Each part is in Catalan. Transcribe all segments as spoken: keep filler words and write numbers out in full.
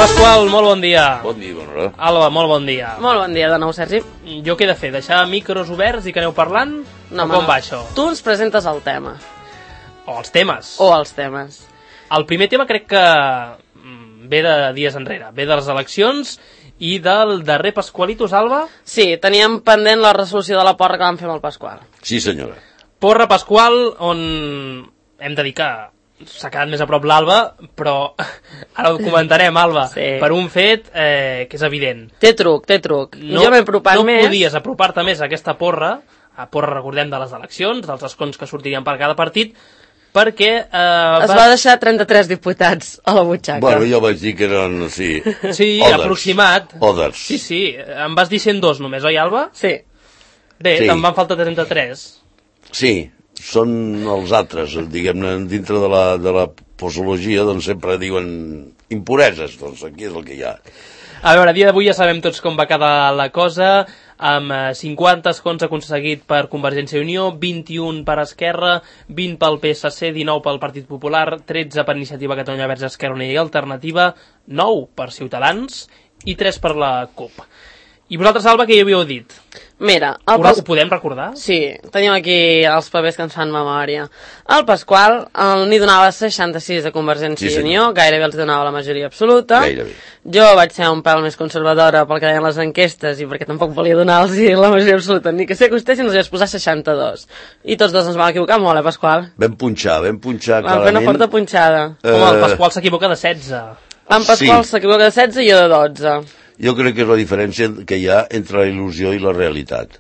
Pasqual, molt bon dia. Bon dia, bona hora. Alba, molt bon dia. Molt bon dia de nou, Sergi. Jo què he de fer? Deixar micros oberts i que aneu parlant? No, o com va això? Tu ens presentes el tema. O els temes. O els temes. El primer tema crec que ve de dies enrere. Ve de les eleccions i del darrer Pasqualitos, Alba. Sí, teníem pendent la resolució de la porra que vam fer amb el Pasqual. Sí, senyora. Porra Pasqual, on hem de dir que s'ha quedat més a prop l'Alba, però ara ho comentarem, Alba, sí. Per un fet eh, que és evident. Té truc, té truc. No, jo m'he apropat no més. No podies apropar-te més a aquesta porra, a porra, recordem, de les eleccions, dels escons que sortirien per cada partit, perquè... Eh, es va deixar trenta-tres diputats a la butxaca. Bueno, jo vaig dir que eren, sí... Sí, Others. Aproximat. Others. Sí, sí, em vas dir cent dos només, oi, Alba? Sí. Bé, sí. Te'n van faltar trenta-tres. Sí, són els altres, diguem-ne, dintre de la, de la posologia, doncs sempre diuen impureses, doncs aquí és el que hi ha. A veure, a dia d'avui ja sabem tots com va quedar la cosa, amb cinquanta escons aconseguit per Convergència i Unió, vint-i-un per Esquerra, vint pel P S C, dinou pel Partit Popular, tretze per Iniciativa Catalunya Verds Esquerra Unida i Alternativa, nou per Ciutadans i tres per la CUP. I vosaltres, Alba, què hi havíeu dit? Mira, el Pas... Ho podem recordar? Sí, tenim aquí els papers que ens fan memòria. El Pasqual n'hi donava seixanta-sis a Convergència sí, i Unió, gairebé els donava la majoria absoluta. Gairebé. Jo vaig ser un pèl més conservadora pel que deien les enquestes i perquè tampoc volia donar-los la majoria absoluta, ni que s'acostessin els vaig posar seixanta-dos. I tots dos ens vam equivocar molt, eh, Pasqual? Vam punxar, vam punxar clarament. Vam fer una forta punxada. Uh... Home, el Pasqual s'equivoca de setze. En Pasqual sí. s'equivoca de setze i jo de dotze. Jo crec que és la diferència que hi ha entre la il·lusió i la realitat.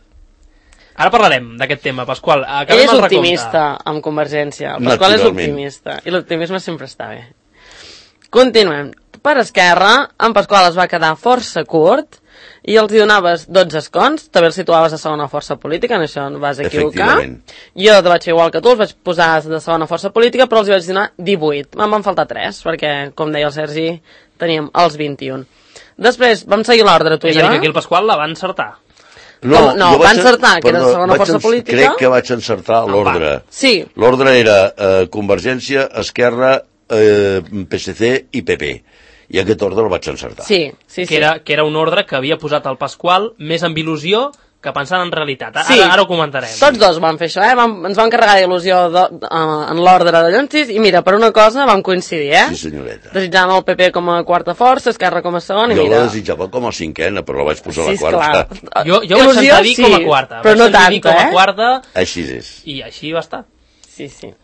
Ara parlarem d'aquest tema, Pasqual. Ell és optimista amb Convergència. El Pasqual és optimista. I l'optimisme sempre està bé. Continuem. Per Esquerra, en Pasqual es va quedar força curt i els hi donaves dotze escons. També els situaves a segona força política, en això no vas equivocar. Jo vaig fer igual que tu, els vaig posar de segona força política, però els hi vaig donar divuit. Me'n van faltar tres, perquè, com deia el Sergi, teníem els vint-i-un. Després vam seguir l'ordre, tu i jo. És a dir, que aquí el Pasqual la va encertar. No, no va encertar, que era la segona força política. Crec que vaig encertar l'ordre. Sí. L'ordre era eh, Convergència, Esquerra, eh, P S C i P P. I aquest ordre el vaig encertar. Sí, sí, sí. Que era, que era un ordre que havia posat el Pasqual més amb il·lusió que pensant en realitat. Ara, sí. ara ho comentarem. Tots dos vam fer això, eh? Vam, ens vam carregar d'il·lusió uh, en l'ordre de Llonsis i mira, per una cosa vam coincidir, eh? Sí, senyoreta. Desitjàvem el P P com a quarta força, Esquerra com a segona i jo mira... Jo la desitjava com a cinquena, però la vaig posar sí, a la quarta. Clar. Jo, jo vaig sentir dir sí, com a quarta. Però no tant, com a eh? quarta, així és. I així va estar. Sí, sí.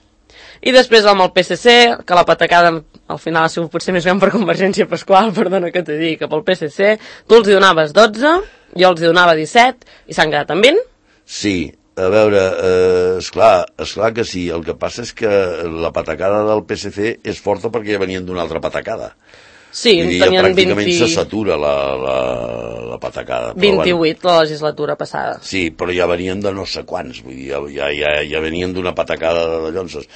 I després amb el P S C, que la patacada al final ha sigut potser més gran per Convergència Pasqual, perdona que t'he dit, que pel P S C, tu els hi donaves dotze, jo els hi donava disset, i s'han quedat amb vint? Sí, a veure, eh, esclar, esclar que sí, el que passa és que la patacada del P S C és forta perquè ja venien d'una altra patacada. Sí, vull dir, tenien ja pràcticament vint... se satura la, la, la patacada. vint-i-vuit bueno, la legislatura passada. Sí, però ja venien de no sé quants, vull dir, ja, ja, ja venien d'una patacada de llonses.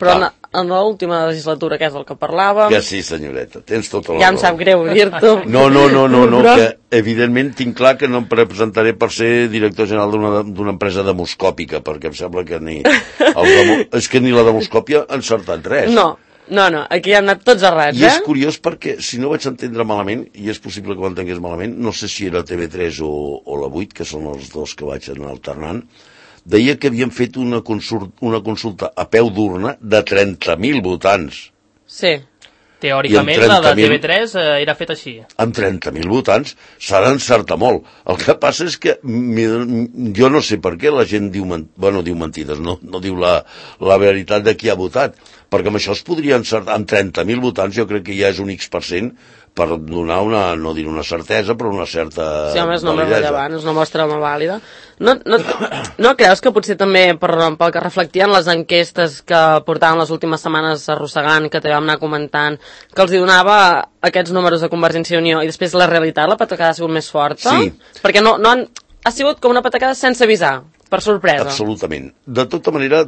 Però en, en l'última legislatura, que és el que parlàvem... Que sí, senyoreta, tens tota la ja em sap greu dir-t'ho. No, no, no, no, no però... que evidentment tinc clar que no em presentaré per ser director general d'una empresa demoscòpica, perquè em sembla que ni... Demo... és que ni la demoscòpia ha encertat res. No, no, no, aquí han anat tots errats, I eh? és curiós perquè, si no vaig entendre malament, i és possible que ho entengués malament, no sé si era T V tres o, o la vuit, que són els dos que vaig anar alternant, deia que havien fet una consulta, una consulta a peu d'urna de trenta mil votants. Sí. Teòricament la de T V tres eh, era feta així. Amb trenta mil votants s'ha d'encertar molt. El que passa és que jo no sé per què la gent diu, bueno, diu mentides, no, no diu la, la veritat de qui ha votat, perquè amb això es podria encertar, amb trenta mil votants jo crec que ja és un X per cent per donar una, no dir una certesa, però una certa sí, home, és només rellevant, és una mostra molt vàlida. No, no, no creus que potser també per, pel que reflectien les enquestes que portaven les últimes setmanes arrossegant, que també vam anar comentant, que els hi donava aquests números de Convergència i Unió i després la realitat, la patacada ha sigut més forta? Sí. Perquè no, no han, ha sigut com una patacada sense avisar. Per sorpresa. Absolutament. De tota manera,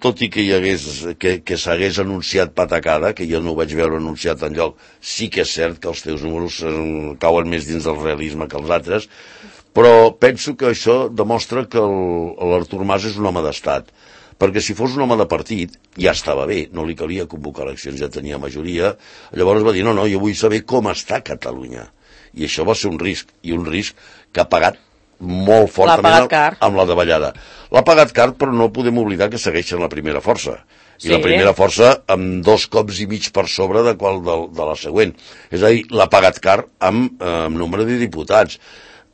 tot i que hi hagués, que, que s'hagués anunciat patacada, que jo no ho vaig veure anunciat enlloc, sí que és cert que els teus números cauen més dins del realisme que els altres, però penso que això demostra que l'Artur Mas és un home d'estat, perquè si fos un home de partit ja estava bé, no li calia convocar eleccions, ja tenia majoria. Llavors va dir, no, no, jo vull saber com està Catalunya. I això va ser un risc, i un risc que ha pagat molt fortament amb la davallada. L'ha pagat car, però no podem oblidar que segueixen la primera força. I sí. La primera força amb dos cops i mig per sobre de qual de, de la següent. És a dir, l'ha pagat car amb, eh, amb nombre de diputats.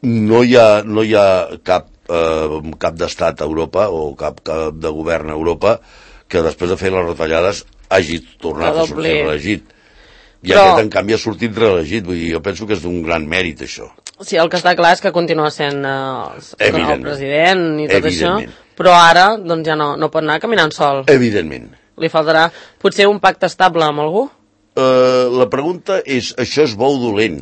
No hi ha, no hi ha cap, eh, cap d'estat a Europa o cap, cap de govern a Europa que després de fer les retallades hagi tornat a sortir reelegit. I Però... aquest, en canvi, ha sortit reelegit. Vull dir, jo penso que és d'un gran mèrit, això. Sí, el que està clar és que continua sent eh, el president i tot això, però ara doncs ja no, no pot anar caminant sol. Evidentment. Li faltarà potser un pacte estable amb algú? Uh, la pregunta és, això és bo o dolent?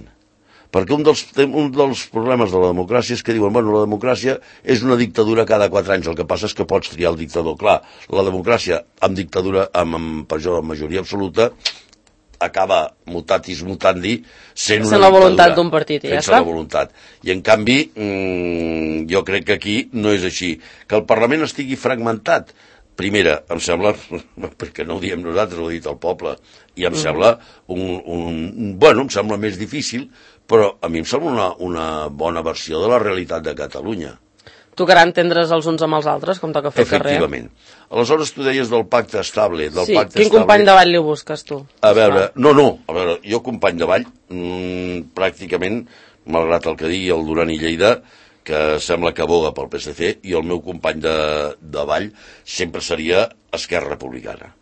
Perquè un dels, un dels problemes de la democràcia és que diuen, bueno, la democràcia és una dictadura cada quatre anys, el que passa és que pots triar el dictador. Clar, la democràcia amb dictadura, amb, amb, amb majoria absoluta, acaba mutatis mutandi sent una la voluntat d'un partit i ja està. La voluntat. I en canvi mmm, jo crec que aquí no és així. Que el Parlament estigui fragmentat, primera, em sembla, perquè no ho diem nosaltres, ho ha dit el poble, i em mm. sembla un, un, bueno, em sembla més difícil, però a mi em sembla una, una bona versió de la realitat de Catalunya. Tocarà entendre's els uns amb els altres, com toca fer el carrer. Efectivament. Aleshores, tu deies del pacte estable. Del sí, pacte quin estable. company de ball li busques, tu? A veure, no, no, a veure, jo company de ball, mmm, pràcticament, malgrat el que digui el Duran i Lleida, que sembla que aboga pel P S C, i el meu company de, de ball sempre seria Esquerra Republicana,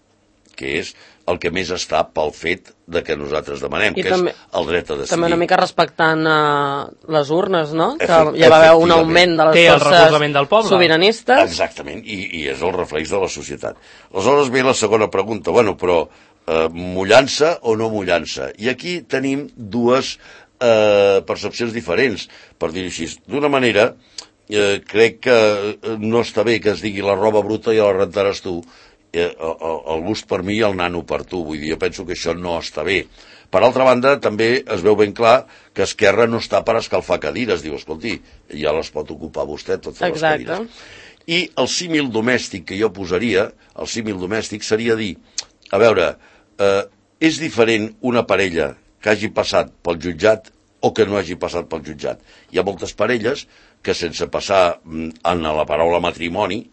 que és el que més està pel fet de que nosaltres demanem, I que també, és el dret a decidir. També una mica respectant uh, les urnes, no? Que ja va haver un augment de les forces del poble. sobiranistes. Exactament, i, i és el reflex de la societat. Aleshores ve la segona pregunta, bueno, però eh, mullança o no mullança? I aquí tenim dues eh, percepcions diferents, per dir-ho així. D'una manera, eh, crec que no està bé que es digui la roba bruta i la rentaràs tu, el, el gust per mi i el nano per tu, vull dir, jo penso que això no està bé. Per altra banda, també es veu ben clar que Esquerra no està per escalfar cadires, diu, escolti, ja les pot ocupar vostè, totes les cadires. I el símil domèstic que jo posaria, el símil domèstic seria dir, a veure, eh, és diferent una parella que hagi passat pel jutjat o que no hagi passat pel jutjat. Hi ha moltes parelles que sense passar en la paraula matrimoni,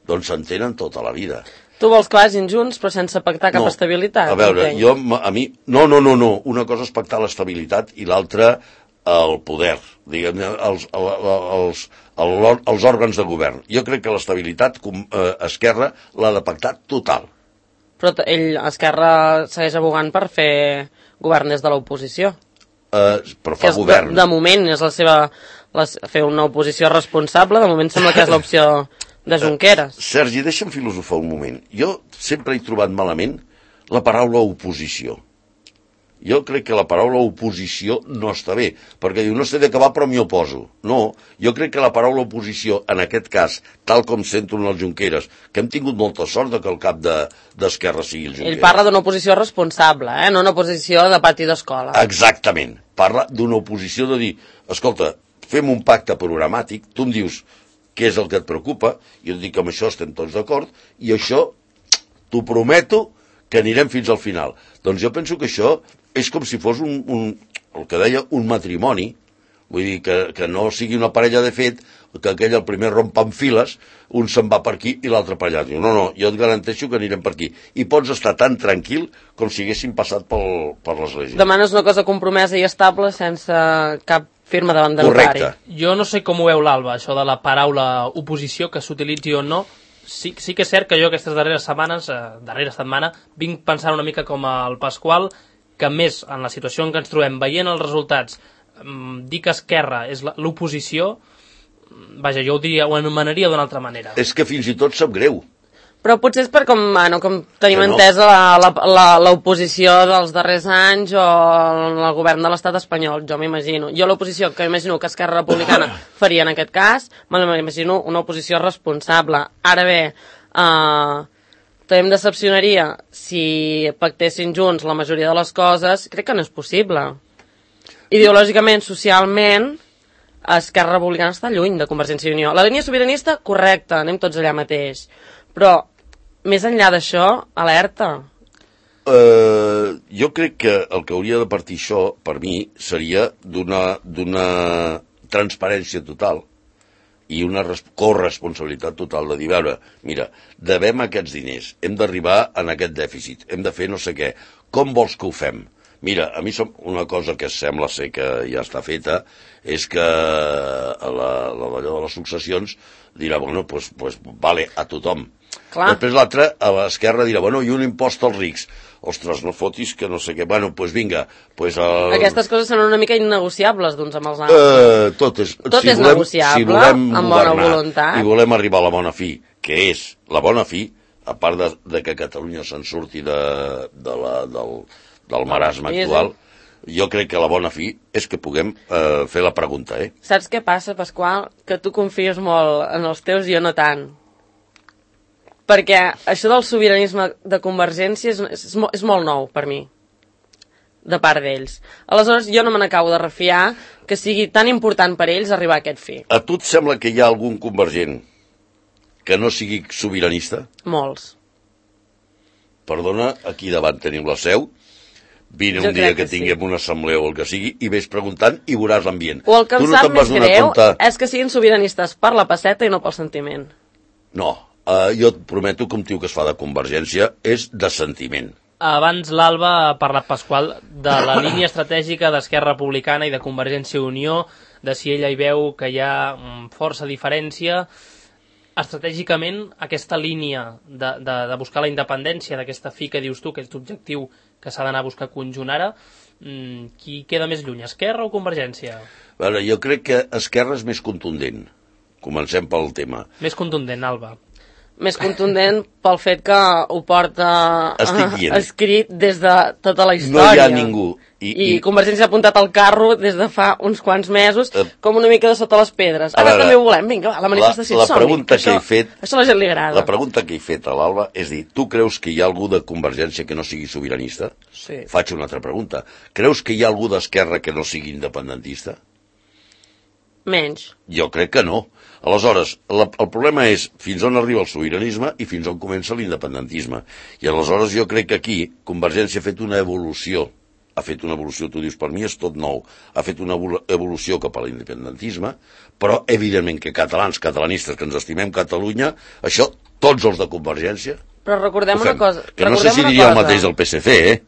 doncs s'entenen tota la vida. Tu vols que vagin junts però sense pactar cap no, estabilitat? A veure, entenc. jo, a mi... No, no, no, no. Una cosa és pactar l'estabilitat i l'altra el poder, diguem-ne, els, els, els, els òrgans de govern. Jo crec que l'estabilitat eh, Esquerra l'ha de pactar total. Però ell, Esquerra, segueix abogant per fer govern des de l'oposició. Uh, però fa govern. De, de moment és la seva... La, fer una oposició responsable, de moment sembla que és l'opció de Junqueras. Uh, Sergi, deixa'm filosofar un moment. Jo sempre he trobat malament la paraula oposició. Jo crec que la paraula oposició no està bé, perquè diu, no sé de què va, però m'hi oposo. No, jo crec que la paraula oposició, en aquest cas, tal com sento en el Junqueras, que hem tingut molta sort de que el cap d'Esquerra de, sigui el Junqueras. Ell parla d'una oposició responsable, eh? No una oposició de pati d'escola. Exactament. Parla d'una oposició de dir, escolta, fem un pacte programàtic, tu em dius què és el que et preocupa, i jo et dic que amb això estem tots d'acord, i això t'ho prometo que anirem fins al final. Doncs jo penso que això és com si fos un, un el que deia, un matrimoni, vull dir, que, que no sigui una parella de fet, que aquell el primer romp en files, un se'n va per aquí i l'altre per allà. Diu, no, no, jo et garanteixo que anirem per aquí. I pots estar tan tranquil com si haguéssim passat pel, per l'església. Demanes una cosa compromesa i estable sense cap firma davant de notari. Correcte. Jo no sé com ho veu l'Alba, això de la paraula oposició, que s'utilitzi o no. Sí, sí que és cert que jo aquestes darreres setmanes, eh, darrera setmana, vinc pensant una mica com el Pasqual, que més en la situació en què ens trobem, veient els resultats, eh, dir que Esquerra és l'oposició, vaja, jo ho diria, ho anomenaria d'una altra manera. És que fins i tot sap greu. Però potser és per com, bueno, com tenim no. entesa l'oposició dels darrers anys o el govern de l'estat espanyol, jo m'imagino. Jo l'oposició que m'imagino que Esquerra Republicana faria en aquest cas, m'imagino una oposició responsable. Ara bé, eh, també em decepcionaria si pactessin junts la majoria de les coses, crec que no és possible. Ideològicament, socialment, Esquerra Republicana està lluny de Convergència i Unió. La línia sobiranista, correcta, anem tots allà mateix. Però, més enllà d'això, alerta. Uh, jo crec que el que hauria de partir això, per mi, seria d'una d'una transparència total i una corresponsabilitat total de dir, veure, mira, devem aquests diners, hem d'arribar en aquest dèficit, hem de fer no sé què, com vols que ho fem? Mira, a mi som una cosa que sembla ser que ja està feta, és que la, la, de les successions dirà, bueno, pues, pues vale, a tothom. Clar. Després l'altre, a l'esquerra, dirà, bueno, i un impost als rics. Ostres, no fotis que no sé què. Bueno, doncs pues vinga. Pues el... Aquestes coses són una mica innegociables d'uns amb els altres. Uh, tot és, tot si és volem, negociable, si volem amb bona voluntat. I volem arribar a la bona fi, que és la bona fi, a part de, de que Catalunya se'n surti de, de la, del, del marasme actual, jo crec que la bona fi és que puguem eh, fer la pregunta, eh? Saps què passa, Pasqual? Que tu confies molt en els teus i jo no tant. Perquè això del sobiranisme de Convergència és, és, és molt nou per mi, de part d'ells. Aleshores, jo no me n'acabo de refiar que sigui tan important per ells arribar a aquest fi. A tu et sembla que hi ha algun convergent que no sigui sobiranista? Molts. Perdona, aquí davant tenim la seu. Vine un dia que, que tinguem sí. una assemblea o el que sigui i vés preguntant i veuràs l'ambient. O el que em no sap més greu compte... és que siguin sobiranistes per la pesseta i no pel sentiment. No, uh, jo et prometo que un tio que es fa de Convergència és de sentiment. Abans l'Alba ha parlat, Pasqual, de la línia estratègica d'Esquerra Republicana i de Convergència i Unió, de si ella hi veu que hi ha força diferència. Estratègicament, aquesta línia de, de, de buscar la independència, d'aquesta fi que dius tu, aquest objectiu que s'ha d'anar a buscar conjunt ara, mmm, qui queda més lluny, Esquerra o Convergència? A veure, jo crec que Esquerra és més contundent. Comencem pel tema. Més contundent, Alba. Més contundent pel fet que ho porta uh, escrit des de tota la història. No hi ha ningú. I, I, i Convergència ha apuntat al carro des de fa uns quants mesos, uh, com una mica de sota les pedres. Ara veure, també ho volem, vinga, va, la manifestació la, la pregunta que això, he fet, això a la gent li agrada. La pregunta que he fet a l'Alba és dir, tu creus que hi ha algú de Convergència que no sigui sobiranista? Sí. Faig una altra pregunta. Creus que hi ha algú d'Esquerra que no sigui independentista? Menys. Jo crec que no. Aleshores, la, el problema és fins on arriba el sobiranisme i fins on comença l'independentisme. I aleshores jo crec que aquí Convergència ha fet una evolució, ha fet una evolució, tu dius, per mi és tot nou, ha fet una evolució cap a l'independentisme, però evidentment que catalans, catalanistes, que ens estimem Catalunya, això tots els de Convergència... Però recordem una cosa... Que no sé si diria el mateix del P S C, eh?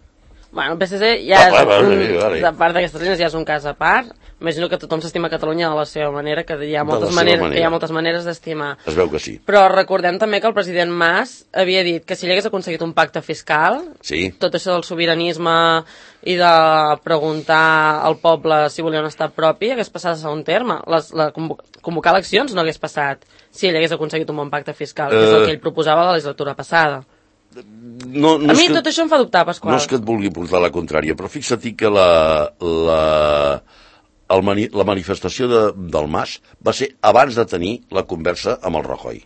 Bueno, el P S C ja ah, és vale, un, vale, vale. de part d'aquestes línies ja és un cas a part. Imagino que tothom s'estima Catalunya de la seva manera, que hi ha moltes, maneres, manera. hi ha moltes maneres d'estimar. Es veu que sí. Però recordem també que el president Mas havia dit que si ell hagués aconseguit un pacte fiscal, sí. tot això del sobiranisme i de preguntar al poble si volia un estat propi hagués passat a segon terme. Les, la, convocar eleccions no hagués passat si ell hagués aconseguit un bon pacte fiscal, uh... que és el que ell proposava a la legislatura passada. No, no a mi que, tot això em fa dubtar, Pasqual. No és que et vulgui portar la contrària, però fixa't que la, la, el mani, la manifestació de, del Mas va ser abans de tenir la conversa amb el Rajoy.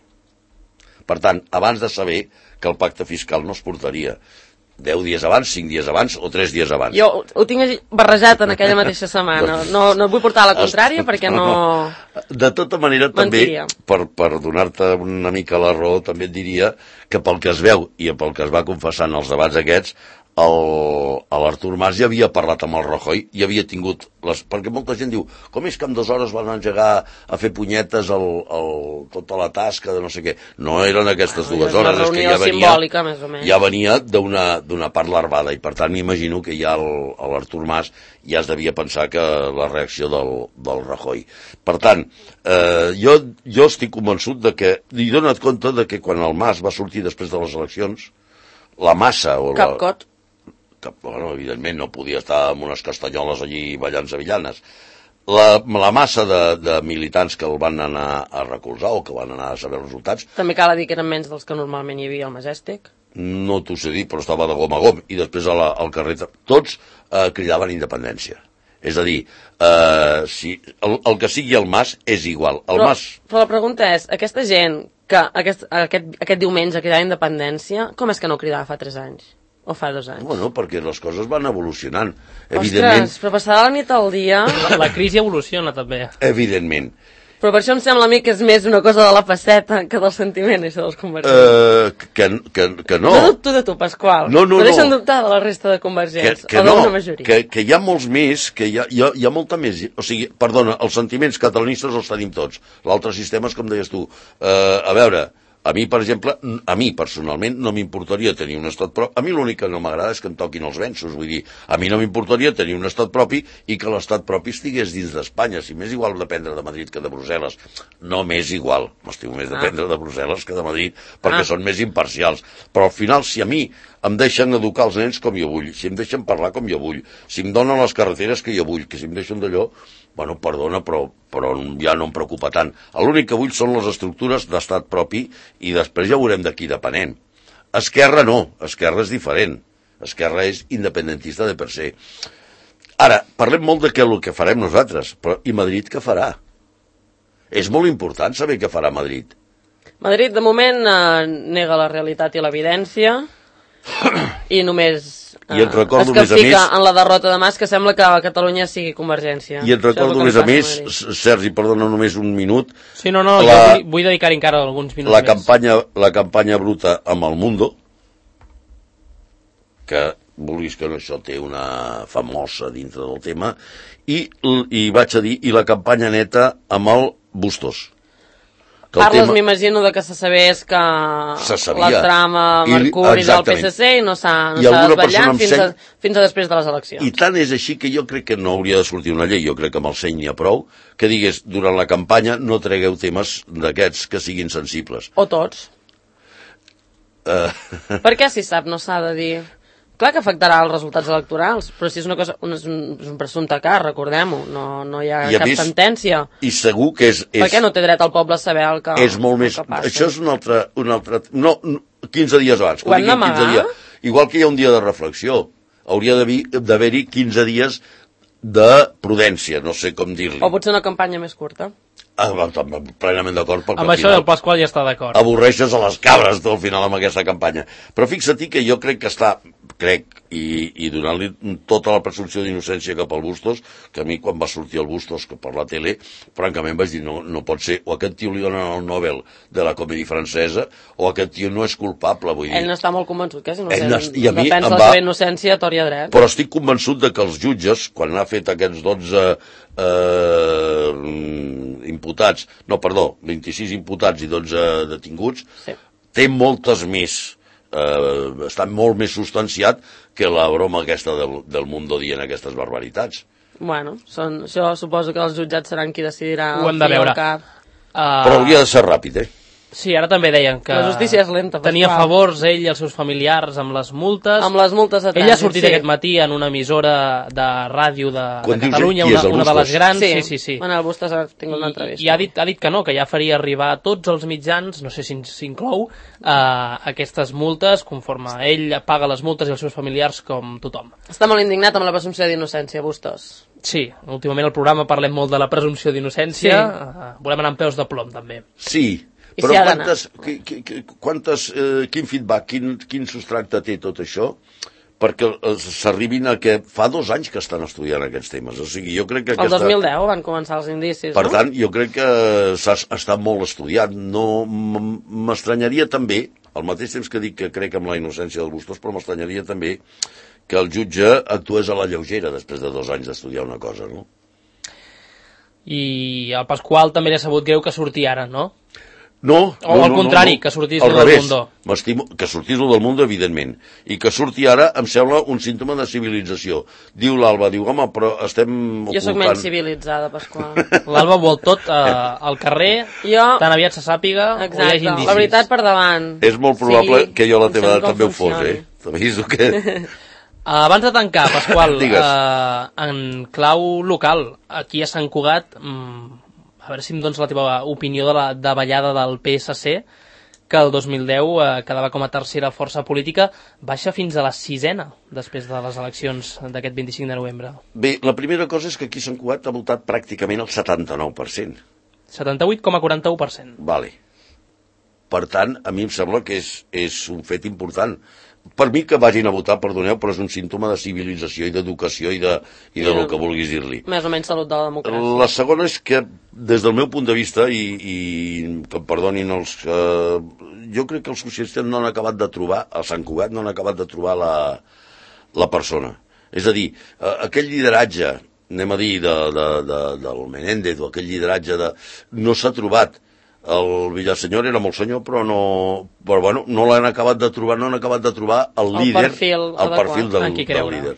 Per tant, abans de saber que el pacte fiscal no es portaria deu dies abans, cinc dies abans o tres dies abans. Jo ho tinc barrejat en aquella mateixa setmana. No, no et vull portar a la contrària perquè no... De tota manera, també, per, per donar-te una mica la raó, també et diria que pel que es veu i pel que es va confessar en els debats aquests, l'Artur Mas ja havia parlat amb el Rajoy i havia tingut... Les, perquè molta gent diu, com és que en dues hores van engegar a fer punyetes el, el, tota la tasca de no sé què. No eren aquestes dues hores, és que ja venia, més o menys. ja venia d'una part larvada i per tant m'imagino que ja l'Artur Mas ja es devia pensar que la reacció del, del Rajoy. Per tant, eh, jo, jo estic convençut de que, i dona't compte de que quan el Mas va sortir després de les eleccions, la massa... O Cap la, cot. Que, bueno, evidentment no podia estar amb unes castanyoles allí ballant sevillanes. La, la massa de, de militants que el van anar a recolzar o que van anar a saber els resultats... També cal dir que eren menys dels que normalment hi havia al Majestic. No t'ho sé dir, però estava de gom a gom. I després a la, al carrer tots eh, cridaven independència. És a dir, eh, si, el, el que sigui el Mas és igual. El però, Mas... però la pregunta és, aquesta gent que aquest, aquest, aquest diumenge cridava independència, com és que no cridava fa tres anys? O fa dos anys? Bueno, perquè les coses van evolucionant. Ostres, evidentment, però passar de la nit al dia... La, la crisi evoluciona, també. Evidentment. Però per això em sembla a mi que és més una cosa de la faceta que del sentiment, això dels convergents. Uh, que, que, que no. No dubto de tu, Pasqual. No, no, no. deixen no. dubtar de la resta de convergents, que, que o no, d'una majoria. Que, que hi ha molts més, que hi ha, hi, ha, hi ha molta més... O sigui, perdona, els sentiments catalanistes els tenim tots. L'altre sistema és com deies tu. Uh, a veure... A mi, per exemple, a mi personalment no m'importaria tenir un estat propi. A mi l'únic que no m'agrada és que em toquin els venços. Vull dir, a mi no m'importaria tenir un estat propi i que l'estat propi estigués dins d'Espanya. Si m'és igual dependre de Madrid que de Brussel·les. No m'és igual. M'estiu més dependre de Brussel·les que de Madrid perquè ah. són més imparcials. Però al final, si a mi em deixen educar els nens com jo vull, si em deixen parlar com jo vull, si em donen les carreteres que jo vull, que si em deixen d'allò... Bueno, perdona, però, però ja no em preocupa tant. L'únic que vull són les estructures d'estat propi i després ja veurem d'aquí depenent. Esquerra no, Esquerra és diferent. Esquerra és independentista de per se. Ara, parlem molt de què el que farem nosaltres, però i Madrid què farà? És molt important saber què farà Madrid. Madrid, de moment, eh, nega la realitat i l'evidència i només... I et recordo, es que més a fica més... en la derrota de Mas, que sembla que a Catalunya sigui Convergència. I et recordo, més a més, Sergi, perdona només un minut... Sí, no, no, la, jo vull, vull dedicar encara alguns minuts la més. Campanya, la campanya bruta amb el Mundo, que vulguis que no, això té una famosa dintre del tema, i, i vaig a dir, i la campanya neta amb el Bustos. Parles, tema... m'imagino, de que se sabés que la trama Mercuri del P S C i no s'ha no desvetllat fins, seny... a, fins a després de les eleccions. I tant és així que jo crec que no hauria de sortir una llei, jo crec que amb el seny n'hi ha prou, que digués, durant la campanya no tregueu temes d'aquests que siguin sensibles. O tots. Uh... Per què, si sap, no s'ha de dir... Clar que afectarà els resultats electorals, però si és una cosa, un, és un, és un presumpte cas, recordem-ho, no, no hi ha I cap més, sentència. I segur que és, és... Per què no té dret el poble a saber el que, és molt més, que passa? Això és un altre... Un altre no, quinze dies abans. Ho hem d'amagar? Igual que hi ha un dia de reflexió, hauria d'haver-hi quinze dies de prudència, no sé com dir-li. O potser una campanya més curta. Ah, plenament d'acord. Amb això el Pasqual ja està d'acord. Avorreixes a les cabres al final amb aquesta campanya. Però fixa't que jo crec que està, crec, i, i donant-li tota la presumpció d'innocència cap al Bustos, que a mi quan va sortir el Bustos que per la tele, francament vaig dir, no, no pot ser, o aquest tio li donen el Nobel de la comèdia francesa, o aquest tio no és culpable, vull dir. Ell no està molt convençut que és innocent. No, i a mi defensa va... la seva innocència a tort i a dret. Però estic convençut de que els jutges, quan ha fet aquests dotze eh, imputats, no, perdó, vint-i-sis imputats i dotze detinguts, sí. Té moltes més, eh, està molt més substanciat que la broma aquesta del, del Mundo dient aquestes barbaritats. Bueno, són, això suposo que els jutjats seran qui decidirà. Ho hem de veure. Uh... Però hauria de ser ràpid, eh? Sí, ara també deien que la justícia és lenta, tenia Pasqual. favors ell i els seus familiars amb les multes. Amb les multes de trànsit, ell ha sortit sí. aquest matí en una emissora de ràdio de, de Catalunya, una, una de les grans. Sí, sí, sí, sí. Bueno, el Bustos ha tingut una entrevista. I, i ha, dit, ha dit que no, que ja faria arribar a tots els mitjans, no sé si s'inclou, eh, aquestes multes, conforme ell paga les multes i els seus familiars com tothom. Està molt indignat amb la presumpció d'innocència, Bustos. Sí, últimament al programa parlem molt de la presumpció d'innocència, sí. uh, volem anar amb peus de plom, també. Sí, I però si quantes, qui, qui, quantes, eh, quin feedback, quin, quin substracte té tot això perquè s'arribin a que fa dos anys que estan estudiant aquests temes. O sigui, jo crec que aquesta... El dos mil deu van començar els indicis, per no? Per tant, jo crec que s'ha estat molt estudiat. No, m'estranyaria també, al mateix temps que dic que crec en la innocència dels Bustos, però m'estranyaria també que el jutge actués a la lleugera després de dos anys d'estudiar una cosa, no? I el Pasqual també l'ha sabut greu que sortir ara, no? No, o no, al no, contrari, no, no. que sortís lo del Mundo. M'estimo que sortís lo del Mundo, evidentment. I que surti ara em sembla un símptoma de civilització. Diu l'Alba, diu, home, però estem ocultant... Jo sóc menys civilitzada, Pasqual. L'Alba vol tot eh, al carrer, jo... tan aviat se sàpiga, exacte, o hi hagi indicis. La veritat per davant. És molt probable sí, que jo a la teva edat també ho fos, eh? T'aviso que... Abans de tancar, Pasqual, eh, en clau local, aquí a Sant Cugat, mm, a veure si em dones la teva opinió de la davallada del P S C, que el dos mil deu eh, quedava com a tercera força política, baixa fins a la sisena després de les eleccions d'aquest vint-i-cinc de novembre. Bé, la primera cosa és que aquí a Sant Cugat ha votat pràcticament el setanta-nou per cent. setanta-vuit coma quaranta-u per cent. Vale. Per tant, a mi em sembla que és, és un fet important. per mi que vagin a votar, perdoneu, però és un símptoma de civilització i d'educació i de, i de lo que vulguis dir-li. Més o menys salut de la democràcia. La segona és que, des del meu punt de vista, i, i que em perdonin els... Eh, jo crec que els socialistes no han acabat de trobar, a Sant Cugat no han acabat de trobar la, la persona. És a dir, eh, aquell lideratge, anem a dir, de, de, de, del Menéndez, o aquell lideratge de... no s'ha trobat. El Villasenyor era molt senyor, però no, però bueno, no l'han acabat de trobar, no han acabat de trobar el, el líder, perfil el perfil del, del líder.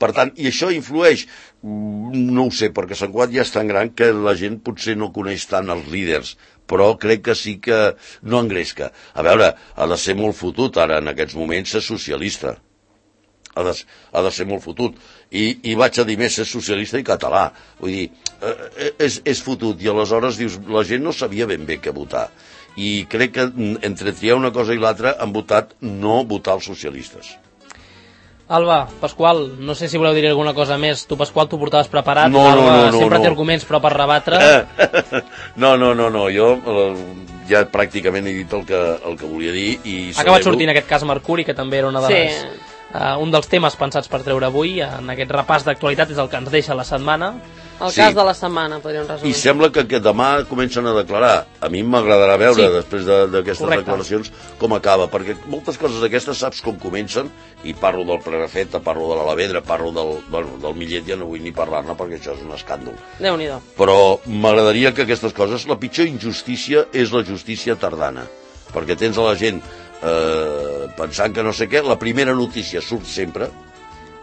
Per tant, i això influeix, no ho sé, perquè Sant Cugat ja és tan gran que la gent potser no coneix tant els líders, però crec que sí que no engresca. A veure, ha de ser molt fotut ara en aquests moments ser socialista. Ha de, ha de ser molt fotut. I, i vaig a dir més, és socialista i català. Vull dir, eh, és, és fotut. I aleshores dius, la gent no sabia ben bé què votar. I crec que entre triar una cosa i l'altra han votat no votar els socialistes. Alba, Pasqual, no sé si voleu dir alguna cosa més. Tu, Pasqual, t'ho portaves preparat. No, no, Alba no, no, sempre no. té arguments, però per rebatre... No, no, no, no. Jo eh, ja pràcticament he dit el que, el que volia dir. I ha acabat sortint aquest cas Mercuri, que també era una de les... Sí. Uh, un dels temes pensats per treure avui en aquest repàs d'actualitat és el que ens deixa la setmana. El sí. cas de la setmana, podríem resumir. I sembla que, que demà comencen a declarar. A mi m'agradarà veure, sí. després d'aquestes de, declaracions, com acaba, perquè moltes coses d'aquestes saps com comencen, i parlo del Prenafeta, parlo de l'Alavedra, parlo del, bueno, del Millet, ja no vull ni parlar-ne perquè això és un escàndol. Déu-n'hi-do. Però m'agradaria que aquestes coses, la pitjor injustícia és la justícia tardana, perquè tens a la gent eh, pensant que no sé què, la primera notícia surt sempre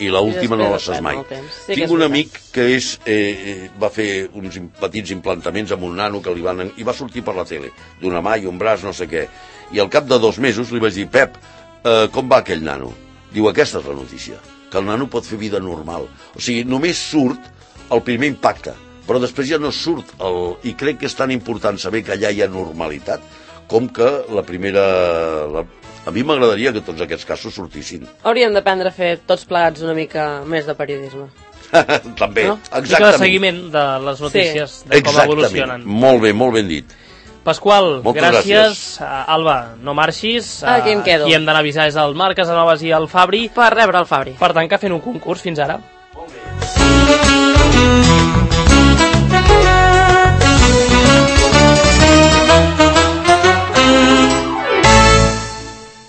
i l'última no la saps mai. Sí, Tinc un amic que és, eh, va fer uns petits implantaments amb un nano que li van, i va sortir per la tele, d'una mà i un braç, no sé què, i al cap de dos mesos li vaig dir, Pep, eh, com va aquell nano? Diu, aquesta és la notícia, que el nano pot fer vida normal. O sigui, només surt el primer impacte, però després ja no surt el... I crec que és tan important saber que allà hi ha normalitat com que la primera... La... A mi m'agradaria que tots aquests casos sortissin. Hauríem d'aprendre a fer tots plegats una mica més de periodisme. També, no? exactament. Una mica de seguiment de les notícies, sí. de com exactament. Evolucionen. Molt bé, molt ben dit. Pasqual, moltes gràcies. gràcies. Uh, Alba, no marxis. Uh, Aquí em quedo. Qui hem d'anar a avisar és el Marc Casanovas i el Fabri. Per rebre el Fabri. Per tant, que fent un concurs fins ara.